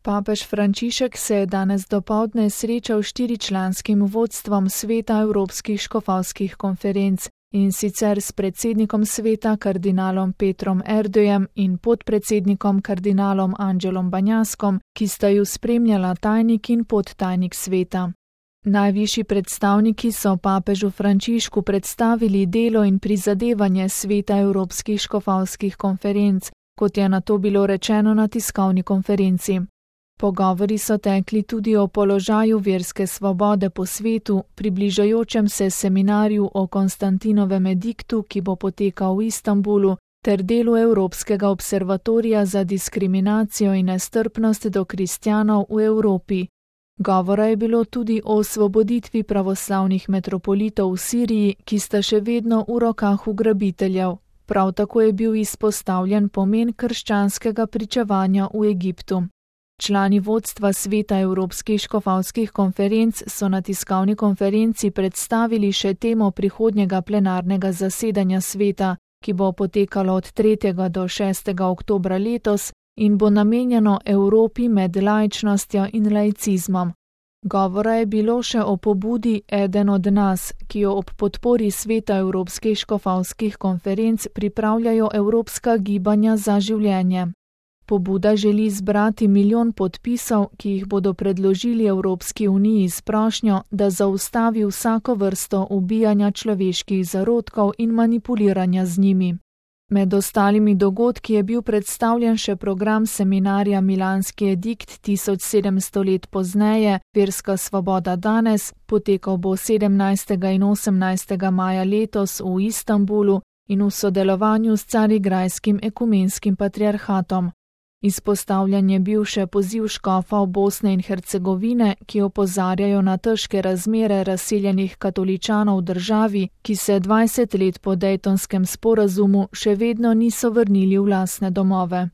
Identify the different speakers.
Speaker 1: Papež Frančišek se je danes dopoldne srečal s 4-članskim vodstvom Sveta Evropskih škofovskih konferenc, in sicer s predsednikom sveta kardinalom Petrom Erdojem in podpredsednikom kardinalom Angelom Banjaskom, ki sta ju spremljala tajnik in podtajnik sveta. Najvišji predstavniki so papežu Frančišku predstavili delo in prizadevanje Sveta Evropskih škofovskih konferenc, kot je nato bilo rečeno na tiskovni konferenci. Pogovori so tekli tudi o položaju verske svobode po svetu, približajočem se seminarju o Konstantinovem ediktu, ki bo potekal v Istanbulu, ter delu Evropskega observatorija za diskriminacijo in nestrpnost do kristjanov v Evropi. Govora je bilo tudi o osvoboditvi pravoslavnih metropolitov v Siriji, ki sta še vedno v rokah ugrabiteljev. Prav tako je bil izpostavljen pomen krščanskega pričevanja v Egiptu. Člani vodstva Sveta Evropskih škofovskih konferenc so na tiskovni konferenci predstavili še temo prihodnjega plenarnega zasedanja sveta, ki bo potekalo od 3. do 6. oktobra letos in bo namenjeno Evropi med laičnostjo in laicizmom. Govora je bilo še o pobudi Eden od nas, ki jo ob podpori Sveta Evropskih škofovskih konferenc pripravljajo Evropska gibanja za življenje. Pobuda želi zbrati 1 milijon podpisov, ki jih bodo predložili Evropski uniji s prošnjo, da zaustavi vsako vrsto ubijanja človeških zarodkov in manipuliranja z njimi. Med ostalimi dogodki je bil predstavljen še program seminarja Milanski edikt 1700 let pozneje, Verska svoboda danes, potekal bo 17. in 18. maja letos v Istanbulu in v sodelovanju s Carigrajskim ekumenskim patriarhatom. Izpostavljen je bil še poziv škofov Bosne in Hercegovine, ki opozarjajo na težke razmere razseljenih katoličanov v državi, ki se 20 let po Dejtonskem sporazumu še vedno niso vrnili v lastne domove.